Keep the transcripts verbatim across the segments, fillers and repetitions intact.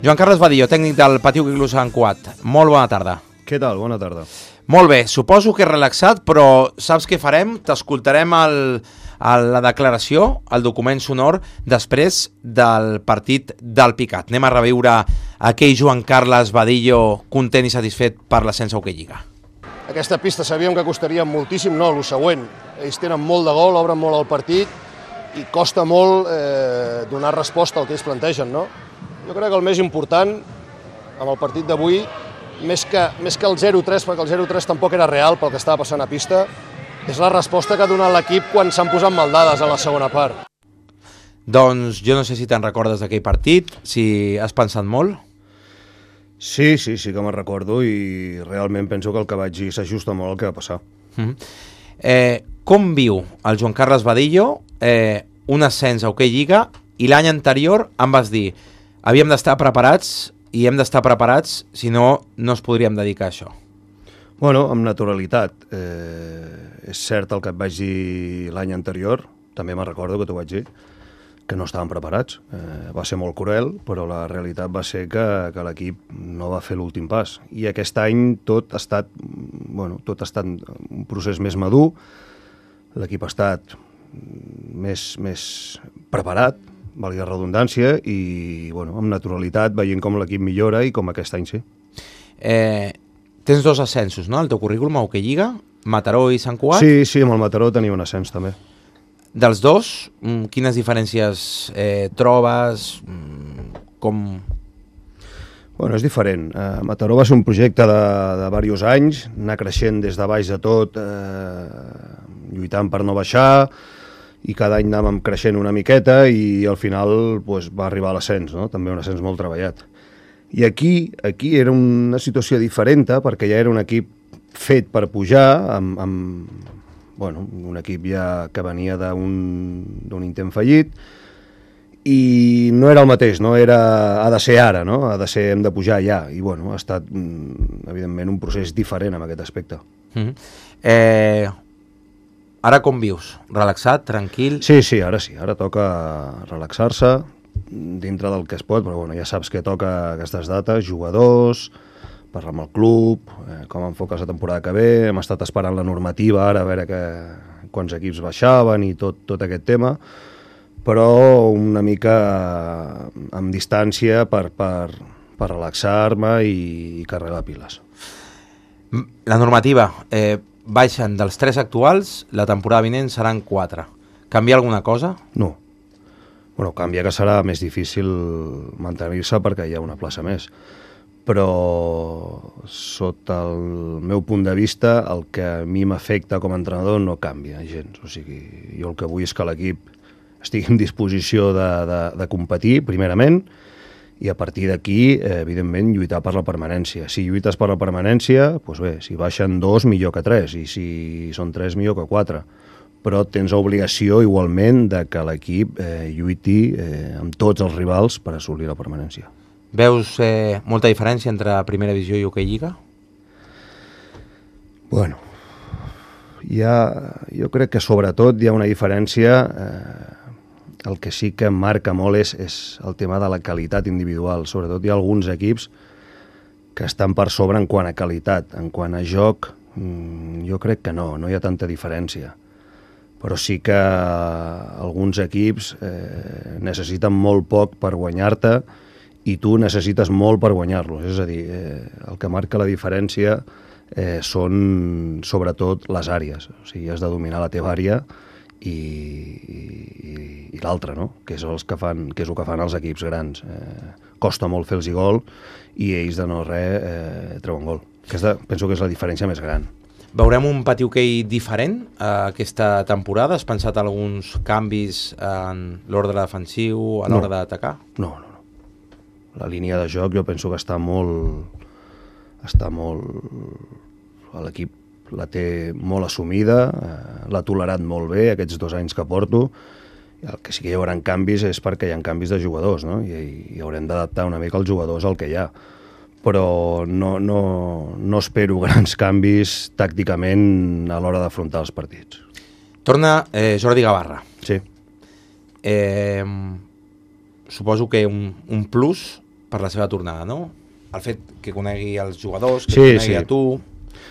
Joan Carles Badillo, tècnic del Patiu Quiclú Sant Cugat. Molt bona tarda. Què tal? Bona tarda. Molt bé, suposo que relaxat, però saps què farem? T'escoltarem el, el, la declaració, el document sonor, després del partit del Picat. Anem a reviure aquell Joan Carles Badillo content i satisfet per l'ascens a Hockey Lliga. Aquesta pista sabíem que costaria moltíssim, no, el següent. Ells tenen molt de gol, obren molt el partit i costa molt eh, donar resposta al que ells plantegen, no? Jo crec que el més important, amb el partit d'avui, més que, més que el zero tres, perquè el zero tres tampoc era real pel que estava passant a pista, és la resposta que ha donat l'equip quan s'han posat maldades a la segona part. Doncs jo no sé si te'n recordes d'aquell partit, si has pensat molt. Sí, sí, sí que me'n recordo i realment penso que el que vaig dir s'ajusta molt al que va passar. Mm-hmm. eh, com viu el Joan Carles Badillo eh, un ascens a Hockey Lliga i l'any anterior em vas dir havíem d'estar preparats i hem d'estar preparats, si no, no es podríem dedicar a això. Bueno, amb naturalitat. Eh, és cert el que et vaig dir l'any anterior, també me'n recordo que t'ho vaig dir, que no estàvem preparats. Eh, va ser molt cruel, però la realitat va ser que, que l'equip no va fer l'últim pas. I aquest any tot ha estat, bueno, tot ha estat un procés més madur, l'equip ha estat més, més preparat, valgui la redundància, i bueno, amb naturalitat veient com l'equip millora i com aquest any sí. Eh, tens dos ascensos, no?, el teu currículum a Hockey Lliga, Mataró i Sant Cugat? Sí, sí, amb el Mataró tenia un ascens també. Dels dos, quines diferències eh, trobes? Com... Bueno, és diferent. Eh, Mataró va ser un projecte de, de diversos anys, anar creixent des de baix de tot, eh, lluitant per no baixar, i cada any anàvem creixent una miqueta i al final pues, va arribar a l'ascens, no? També un ascens molt treballat. I aquí, aquí era una situació diferent perquè ja era un equip fet per pujar, amb, amb bueno, un equip ja que venia d'un intent fallit, i no era el mateix, no era ha de ser ara, no? Ha de ser, hem de pujar ja, i bueno, ha estat evidentment un procés diferent en aquest aspecte. Mm-hmm. eh... Ara com vius? Relaxat, tranquil? Sí, sí, ara sí. Ara toca relaxar-se dintre del que es pot, però bueno, ja saps que toca aquestes dates, jugadors, parlar amb el club, eh, com enfoques la temporada que ve, hem estat esperant la normativa ara a veure que, quants equips baixaven i tot, tot aquest tema, però una mica amb distància per, per, per relaxar-me i, i carregar piles. La normativa... Eh... baixen dels tres actuals, la temporada vinent seran quatre. Canvia alguna cosa? No. Bueno, canvia que serà més difícil mantenir-se perquè hi ha una plaça més. Però, sota el meu punt de vista, el que a mi m'afecta com a entrenador no canvia gens. O sigui, jo el que vull és que l'equip estigui en disposició de, de, de competir, primerament, i a partir d'aquí, eh, evidentment, lluitar per la permanència. Si lluites per la permanència, doncs bé, si baixen dos, millor que tres, i si són tres, millor que quatre. Però tens obligació, igualment, de que l'equip eh, lluiti eh, amb tots els rivals per assolir la permanència. Veus eh, molta diferència entre Primera Divisió i Hockey Lliga? Bueno, hi ha, jo crec que sobretot hi ha una diferència... Eh, el que sí que marca molt és, és el tema de la qualitat individual. Sobretot hi ha alguns equips que estan per sobre en quant a qualitat. En quant a joc, jo crec que no, no hi ha tanta diferència. Però sí que alguns equips eh, necessiten molt poc per guanyar-te i tu necessites molt per guanyar-los. És a dir, eh, el que marca la diferència eh, són sobretot les àrees. O sigui, has de dominar la teva àrea i, i, i l'altre, no? Que és, els que fan, que és el que fan els equips grans. Eh, costa molt fer-los gol i ells de no res eh, treuen gol. Aquesta, penso que és la diferència més gran. Veurem un Patiu Hockey diferent eh, aquesta temporada? Has pensat alguns canvis en l'ordre defensiu, a l'hora no. d'atacar? No, no, no. La línia de joc jo penso que està molt... està molt... l'equip la té molt assumida, eh, l'ha tolerat molt bé aquests dos anys que porto. El que sí que hi haurà canvis és perquè hi ha canvis de jugadors, no? I, i haurem d'adaptar una mica els jugadors al que hi ha. Però no, no, no espero grans canvis tàcticament a l'hora d'afrontar els partits. Torna eh, Jordi Gavarra. Sí. Eh, suposo que un, un plus per la seva tornada, no? El fet que conegui els jugadors, que sí, conegui sí. a tu...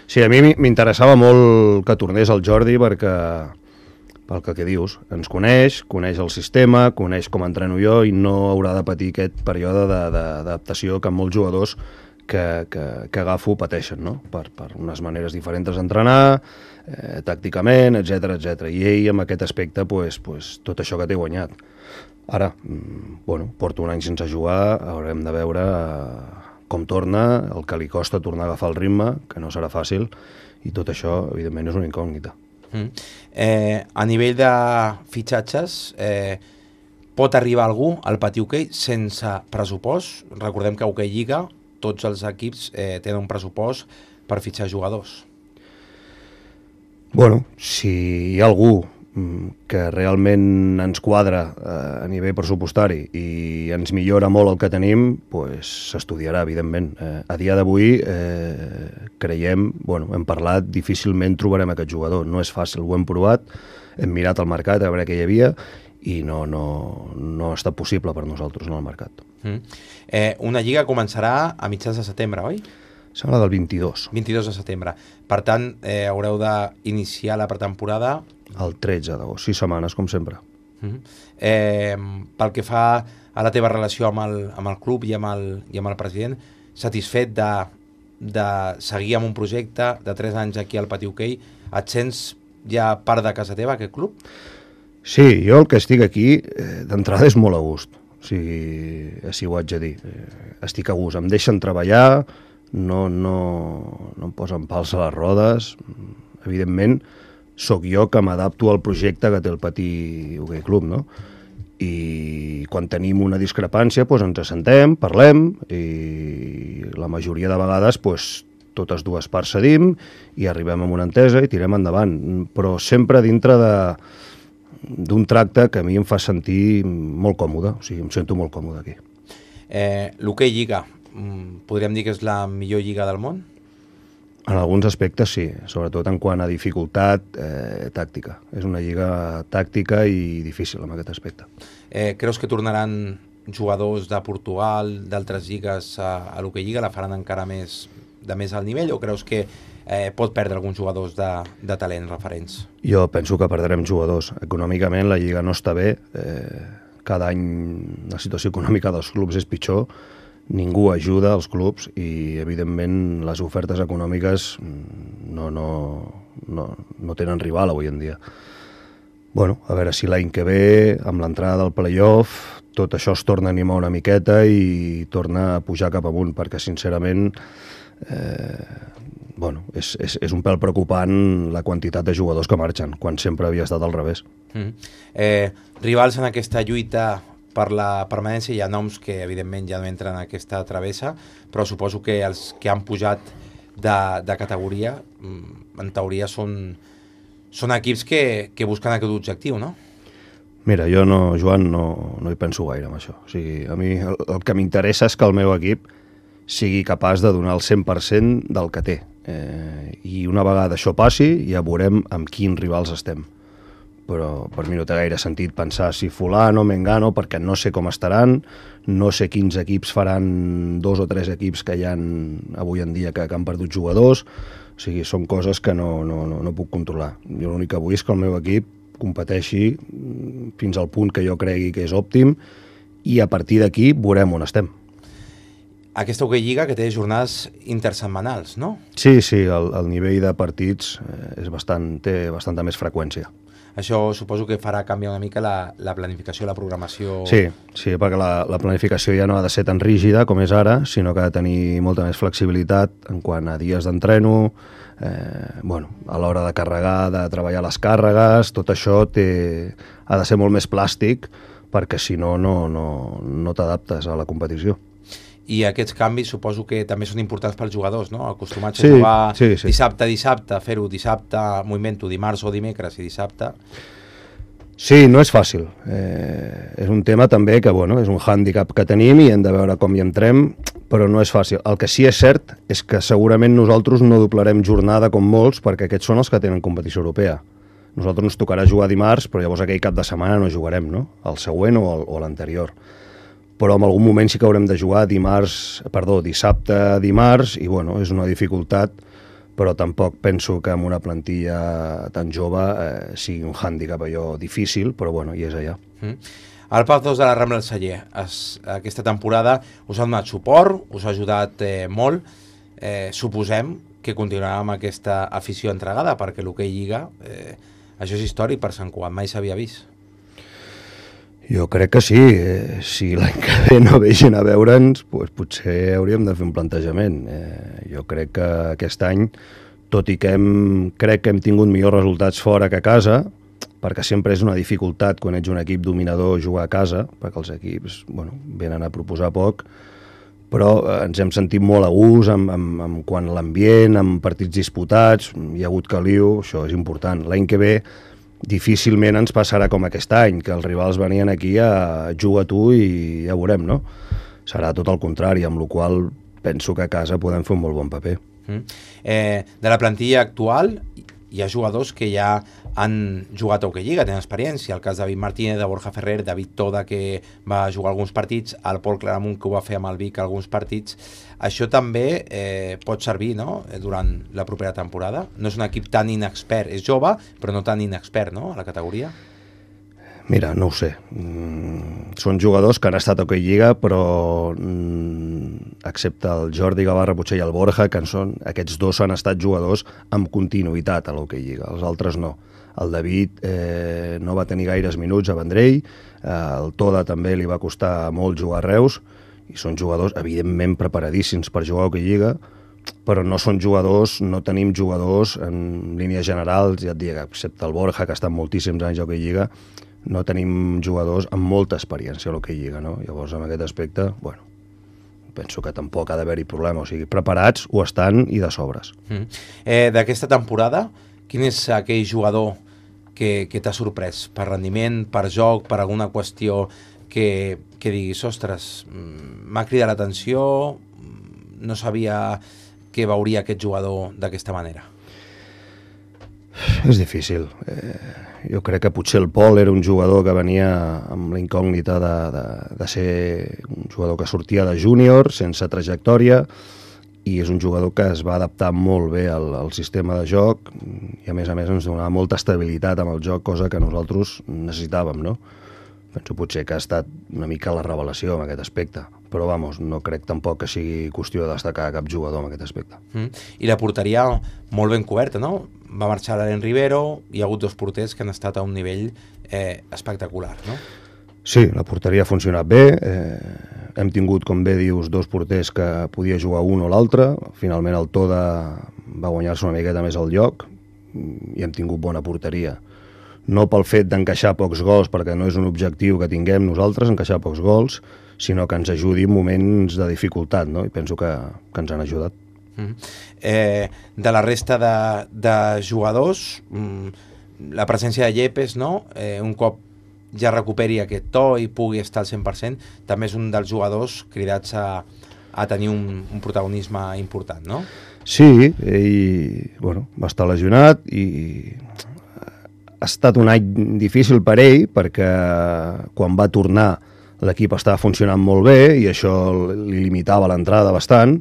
Sí, a mi m'interessava molt que tornés el Jordi perquè, pel que, que dius, ens coneix, coneix el sistema, coneix com entreno jo i no haurà de patir aquest període d'adaptació que molts jugadors que, que, que agafo pateixen, no? Per, per unes maneres diferents d'entrenar, eh, tàcticament, etcètera, etcètera. I ell, amb aquest aspecte, pues, pues, tot això que té guanyat. Ara, bueno, porto un any sense jugar, haurem de veure eh, com torna, el que li costa tornar a agafar el ritme, que no serà fàcil, i tot això, evidentment, és una incògnita. Mm. Eh, a nivell de fitxatges, eh, pot arribar algú al pati hoquei sense pressupost? Recordem que a Hoquei Lliga tots els equips eh, tenen un pressupost per fitxar jugadors. Bueno, si hi ha algú que realment ens quadra eh, a nivell pressupostari i ens millora molt el que tenim, pues, s'estudiarà, evidentment. Eh, a dia d'avui eh, creiem, bueno, hem parlat, difícilment trobarem aquest jugador. No és fàcil, ho hem provat, hem mirat el mercat a veure què hi havia i no, no, no ha estat possible per nosaltres, no, al mercat. Mm. Eh, una lliga començarà a mitjans de setembre, oi? Sembla del vint-i-dos. vint-i-dos de setembre. Per tant, eh, haureu d'iniciar la pretemporada... El tretze d'agost, sis setmanes, com sempre. Mm-hmm. eh, pel que fa a la teva relació amb el, amb el club i amb el, i amb el president, satisfet de, de seguir amb un projecte de tres anys aquí al pati hoquei, et sents ja part de casa teva, aquest club? Sí, jo el que estic aquí, eh, d'entrada és molt a gust. O sigui, així ho haig de dir. Eh, estic a gust, em deixen treballar, no, no, no em posen pals a les rodes, evidentment, sóc jo que m'adapto al projecte que té el Pati Hoquei Club, no? I quan tenim una discrepància, doncs ens assentem, parlem, i la majoria de vegades doncs, totes dues parts cedim i arribem a una entesa i tirem endavant, però sempre dintre de d'un tracte que a mi em fa sentir molt còmode, o sigui, em sento molt còmode aquí. Eh, L'Hoquei Lliga, podríem dir que és la millor lliga del món? En alguns aspectes sí, sobretot en quant a dificultat eh, tàctica. És una lliga tàctica i difícil en aquest aspecte. Eh, creus que tornaran jugadors de Portugal, d'altres lligues a, a l'Hoquei Lliga, la faran encara més de més alt nivell, o creus que eh, pot perdre alguns jugadors de, de talent referents? Jo penso que perdrem jugadors. Econòmicament la lliga no està bé, eh, cada any la situació econòmica dels clubs és pitjor, ningú ajuda als clubs i, evidentment, les ofertes econòmiques no, no, no, no tenen rival avui en dia. Bueno, a veure si l'any que ve, amb l'entrada del play-off, tot això es torna a animar una miqueta i torna a pujar cap amunt, perquè, sincerament, eh, bueno, és, és, és un pèl preocupant la quantitat de jugadors que marxen, quan sempre havia estat al revés. Mm. Eh, rivals en aquesta lluita per la permanència, hi ha noms que evidentment ja no entren en aquesta travessa, però suposo que els que han pujat de, de categoria en teoria són, són equips que, que busquen aquest objectiu, no? Mira, jo no, Joan, no, no hi penso gaire amb això. O sigui, a mi el, el que m'interessa és que el meu equip sigui capaç de donar el cent per cent del que té. Eh, I una vegada això passi ja veurem amb quins rivals estem. Però per mi no té gaire sentit pensar si fulano, mengano, perquè no sé com estaran, no sé quins equips faran dos o tres equips que hi ha avui en dia que, que han perdut jugadors, o sigui, són coses que no, no, no, no puc controlar. Jo l'únic que vull és que el meu equip competeixi fins al punt que jo cregui que és òptim i a partir d'aquí veurem on estem. Aquesta Hoquei Lliga que té jornades intersetmanals, no? Sí, sí, el, el nivell de partits és bastant, té bastanta més freqüència. Això suposo que farà canviar una mica la, la planificació, la programació... Sí, sí, perquè la, la planificació ja no ha de ser tan rígida com és ara, sinó que ha de tenir molta més flexibilitat en quant a dies d'entreno, eh, bueno, a l'hora de carregar, de treballar les càrregues, tot això té, ha de ser molt més plàstic perquè si no, no, no, no t'adaptes a la competició. I aquests canvis suposo que també són importants pels jugadors, no? Acostumats sí, a jugar sí, sí. dissabte a dissabte, fer-ho dissabte, moviment-ho dimarts o dimecres i dissabte. Sí, no és fàcil. Eh, és un tema també que, bueno, és un hàndicap que tenim i hem de veure com hi entrem, però no és fàcil. El que sí és cert és que segurament nosaltres no doblarem jornada com molts, perquè aquests són els que tenen competició europea. Nosaltres ens tocarà jugar dimarts, però llavors aquell cap de setmana no jugarem, no? El següent o l'anterior. però en algun moment sí que haurem de jugar dimarts, perdó, dissabte, dimarts, i bueno, és una dificultat, però tampoc penso que amb una plantilla tan jove eh, sigui un hàndicap allò difícil, però bueno, i és allà. Mm. El Paz dos de la Rambla del Celler, es, aquesta temporada us ha donat suport, us ha ajudat eh, molt, eh, suposem que continuarà amb aquesta afició entregada, perquè l'hoquei Lliga, eh, això és històric per Sant Cugat, mai s'havia vist. Jo crec que sí, eh, si l'any que ve no vegin a veure'ns, pues potser hauríem de fer un plantejament. Eh, jo crec que aquest any, tot i que hem, crec que hem tingut millors resultats fora que a casa, perquè sempre és una dificultat quan ets un equip dominador jugar a casa, perquè els equips bueno, venen a proposar poc, però eh, ens hem sentit molt a gust amb, amb, amb quan l'ambient, amb partits disputats, hi ha hagut caliu, això és important. L'any que ve difícilment ens passarà com aquest any, que els rivals venien aquí a jugar a tu i ja veurem, no? Serà tot el contrari, amb la qual penso que a casa podem fer un molt bon paper. Mm. Eh, de la plantilla actual hi ha jugadors que ja han jugat a Hockey Lliga, tenen experiència, el cas de David Martínez, de Borja Ferrer, David Toda, que va jugar alguns partits, el Pol Claramunt, que ho va fer amb el Vic alguns partits. Això també eh, pot servir, no?, durant la propera temporada. No és un equip tan inexpert, és jove, però no tan inexpert, no?, a la categoria. Mira, no ho sé. Mm, són jugadors que han estat a Hockey Lliga, però mm, excepte el Jordi Gavarra, potser i el Borja, que són, aquests dos han estat jugadors amb continuïtat a l'Hockey Lliga, els altres no. El David eh, no va tenir gaires minuts a Vendrell, eh, el Toda també li va costar molt jugar a Reus, i són jugadors evidentment preparadíssims per jugar a Hockey Lliga, però no són jugadors, no tenim jugadors en línies generals, ja et dic, excepte el Borja, que ha estat moltíssims anys a Hockey Lliga, no tenim jugadors amb molta experiència a l'Hockey Lliga, no? Llavors, en aquest aspecte, bueno, penso que tampoc ha d'haver-hi problema, o sigui, preparats ho estan i de sobres. Mm. Eh, D'aquesta temporada, quin és aquell jugador que, que t'ha sorprès per rendiment, per joc, per alguna qüestió que, que diguis, ostres, m'ha cridat l'atenció, no sabia que veuria aquest jugador d'aquesta manera? És difícil. Eh, jo crec que potser el Pol era un jugador que venia amb la incògnita de, de, de ser un jugador que sortia de júnior, sense trajectòria, i és un jugador que es va adaptar molt bé al, al sistema de joc i a més a més ens donava molta estabilitat amb el joc, cosa que nosaltres necessitàvem, no? Penso potser que ha estat una mica la revelació en aquest aspecte, però vamos, no crec tampoc que sigui qüestió de destacar cap jugador en aquest aspecte. Mm. I la porteria molt ben coberta, no? Va marxar l'Alen Rivero, hi ha hagut dos porters que han estat a un nivell eh, espectacular, no? Sí, la porteria ha funcionat bé, eh, hem tingut, com bé dius, dos porters que podia jugar un o l'altre, finalment el Toda va guanyar-se una miqueta més al lloc i hem tingut bona porteria. No pel fet d'encaixar pocs gols, perquè no és un objectiu que tinguem nosaltres, encaixar pocs gols, sinó que ens ajudi en moments de dificultat, no? I penso que, que ens han ajudat. Mm. Eh, de la resta de, de jugadors, mm, la presència de Yepes, no? Eh, un cop ja recuperi aquest to i pugui estar al cent per cent, també és un dels jugadors cridats a, a tenir un, un protagonisme important, no? Sí, ell bueno, va estar lesionat i ha estat un any difícil per ell perquè quan va tornar l'equip estava funcionant molt bé i això li limitava l'entrada bastant,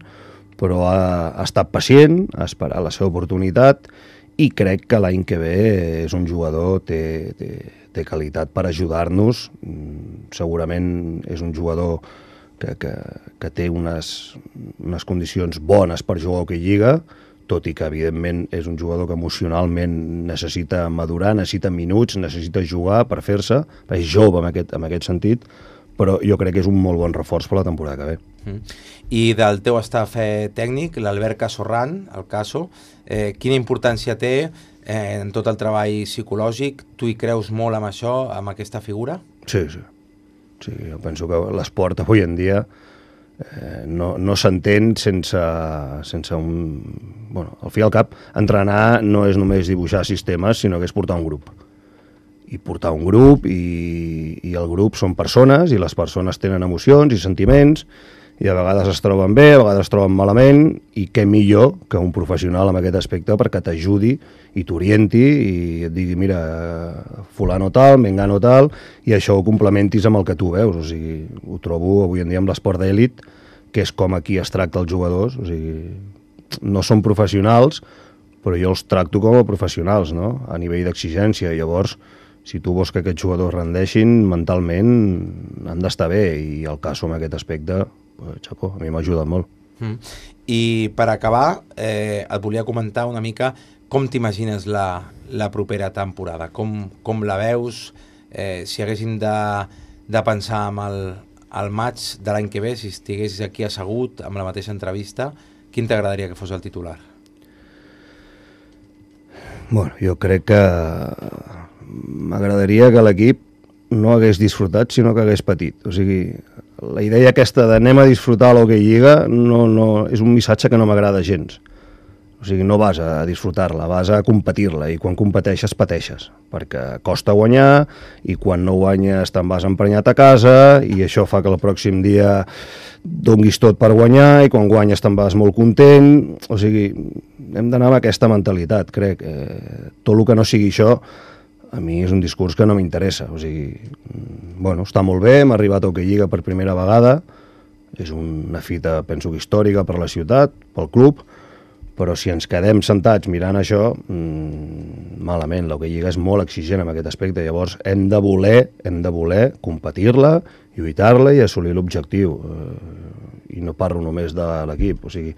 però ha, ha estat pacient, ha esperat la seva oportunitat i crec que l'any que ve és un jugador, té, té, té qualitat per ajudar-nos, segurament és un jugador que, que, que té unes, unes condicions bones per jugar a Hockey Lliga, tot i que evidentment és un jugador que emocionalment necessita madurar, necessita minuts, necessita jugar per fer-se, és jove en aquest, en aquest sentit, però jo crec que és un molt bon reforç per la temporada que ve. Mm. I del teu staff eh, tècnic, l'Albert Casorran, el Caso, eh, quina importància té eh, en tot el treball psicològic? Tu hi creus molt amb això, amb aquesta figura? Sí, sí. sí jo penso que l'esport avui en dia eh, no, no s'entén sense, sense un... Bueno, al fi i al cap, entrenar no és només dibuixar sistemes, sinó que és portar un grup. I portar un grup, i, i el grup són persones, i les persones tenen emocions i sentiments, i a vegades es troben bé, a vegades es troben malament, i què millor que un professional en aquest aspecte perquè t'ajudi i t'orienti i et digui, mira, fulano tal, mengano tal, i això ho complementis amb el que tu veus. O sigui, ho trobo avui en dia amb l'esport d'èlit, que és com aquí es tracta els jugadors. O sigui, no són professionals, però jo els tracto com a professionals, no?, a nivell d'exigència. Llavors, si tu vols que aquests jugadors rendeixin, mentalment han d'estar bé, i el cas en aquest aspecte, pues, xapó, a mi m'ha ajudat molt. Mm. I per acabar, eh, et volia comentar una mica com t'imagines la, la propera temporada, com, com la veus, eh, si haguéssim de, de pensar en el, el maig de l'any que ve, si estiguessis aquí assegut amb la mateixa entrevista, quin t'agradaria que fos el titular? Bueno, jo crec que m'agradaria que l'equip no hagués disfrutat, sinó que hagués patit. O sigui, la idea aquesta d'anem a disfrutar l'Hockey Lliga no, no, és un missatge que no m'agrada gens. O sigui, no vas a disfrutar-la, vas a competir-la, i quan competeixes, pateixes, perquè costa guanyar, i quan no guanyes te'n vas emprenyat a casa, i això fa que el pròxim dia donguis tot per guanyar, i quan guanyes te'n vas molt content. O sigui, hem d'anar amb aquesta mentalitat, crec. Eh, tot el que no sigui això, a mi és un discurs que no m'interessa. O sigui, bueno, està molt bé, hem arribat a Hockey Lliga per primera vegada, és una fita, penso que històrica per la ciutat, pel club, però si ens quedem sentats mirant això, mmm, malament. L'Hockey Lliga és molt exigent en aquest aspecte, llavors hem de voler, hem de voler competir-la, lluitar-la i assolir l'objectiu. Eh, I no parlo només de l'equip, o sigui,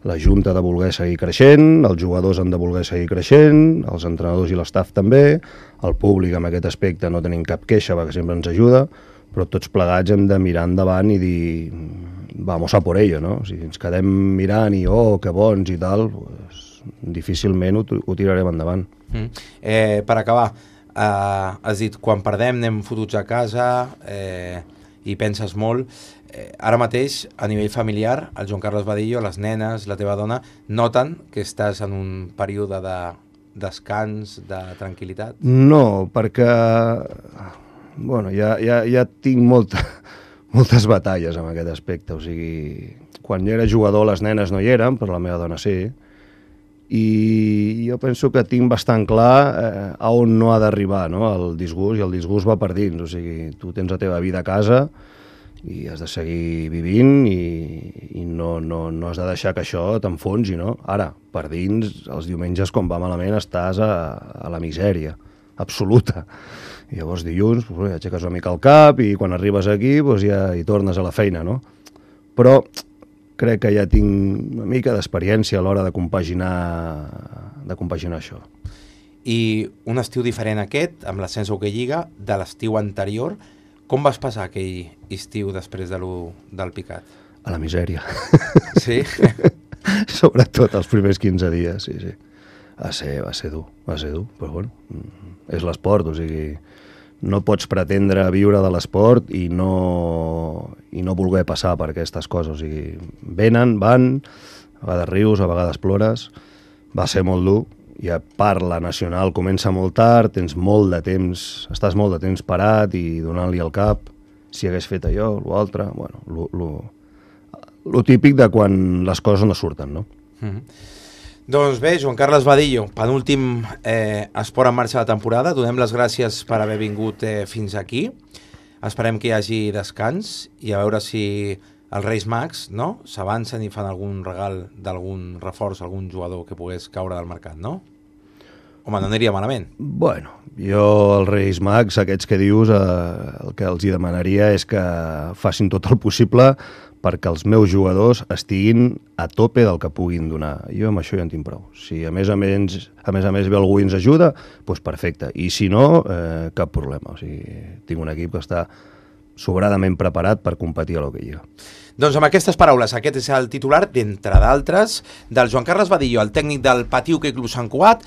la Junta ha de voler seguir creixent, els jugadors han de voler seguir creixent, els entrenadors i l'estaf també, el públic en aquest aspecte no tenim cap queixa perquè sempre ens ajuda, però tots plegats hem de mirar endavant i dir vamos a por ello, no? Si ens quedem mirant i oh, que bons i tal, pues, difícilment ho, ho tirarem endavant. Mm. Eh, per acabar, eh, has dit, quan perdem anem fotuts a casa eh, i penses molt. Eh, ara mateix, a nivell familiar, el Joan Carles Badillo, les nenes, la teva dona, noten que estàs en un període de descans, de tranquil·litat? No, perquè bueno, ja, ja, ja tinc molta, moltes batalles en aquest aspecte. O sigui, quan jo era jugador les nenes no hi eren, però la meva dona sí, i jo penso que tinc bastant clar eh, a on no ha d'arribar, no?, el disgust, i el disgust va per dins. O sigui, tu tens la teva vida a casa i has de seguir vivint i, i no, no, no has de deixar que això t'enfonsi, no? Ara, per dins, els diumenges quan va malament estàs a, a la misèria absoluta. I llavors dilluns pues, aixeques una mica el cap i quan arribes aquí pues, ja hi tornes a la feina, no? Però crec que ja tinc una mica d'experiència a l'hora de compaginar, de compaginar això. I un estiu diferent aquest, amb l'ascens a Hockey Lliga, de l'estiu anterior, com vas passar aquell estiu després de lo, del picat? A la misèria. Sí? Sobretot els primers quinze dies, sí, sí. Va ser, va ser dur, va ser dur, però bueno, és l'esport, o sigui, no pots pretendre viure de l'esport i no, i no voler passar per aquestes coses, o sigui, venen, van, a vegades rius, a vegades plores, va ser molt dur, i a part la nacional comença molt tard, tens molt de temps, estàs molt de temps parat i donant-li el cap, si hagués fet allò, l'altre, bueno, lo, lo, lo típic de quan les coses no surten, no? Mm-hmm. Doncs bé, Joan Carles Badillo, penúltim eh, esport en marxa de la temporada, donem les gràcies per haver vingut eh, fins aquí, esperem que hi hagi descans i a veure si els Reis Mags, no?, s'avancen i fan algun regal d'algun reforç, algun jugador que pogués caure del mercat, no? Home, no aniria malament. Bueno, jo els Reis Mags, aquests que dius, eh, el que els hi demanaria és que facin tot el possible perquè els meus jugadors estiguin a tope del que puguin donar. Jo amb això ja en tinc prou. Si a més a més, a més, a més ve algú i ens ajuda, doncs perfecte. I si no, eh, cap problema. O sigui, tinc un equip que està sobradament preparat per competir a l'Hockey Lliga. Doncs amb aquestes paraules, aquest és el titular, d'entre d'altres, del Joan Carles Badillo, el tècnic del Patí Hockey Club Sant Cugat,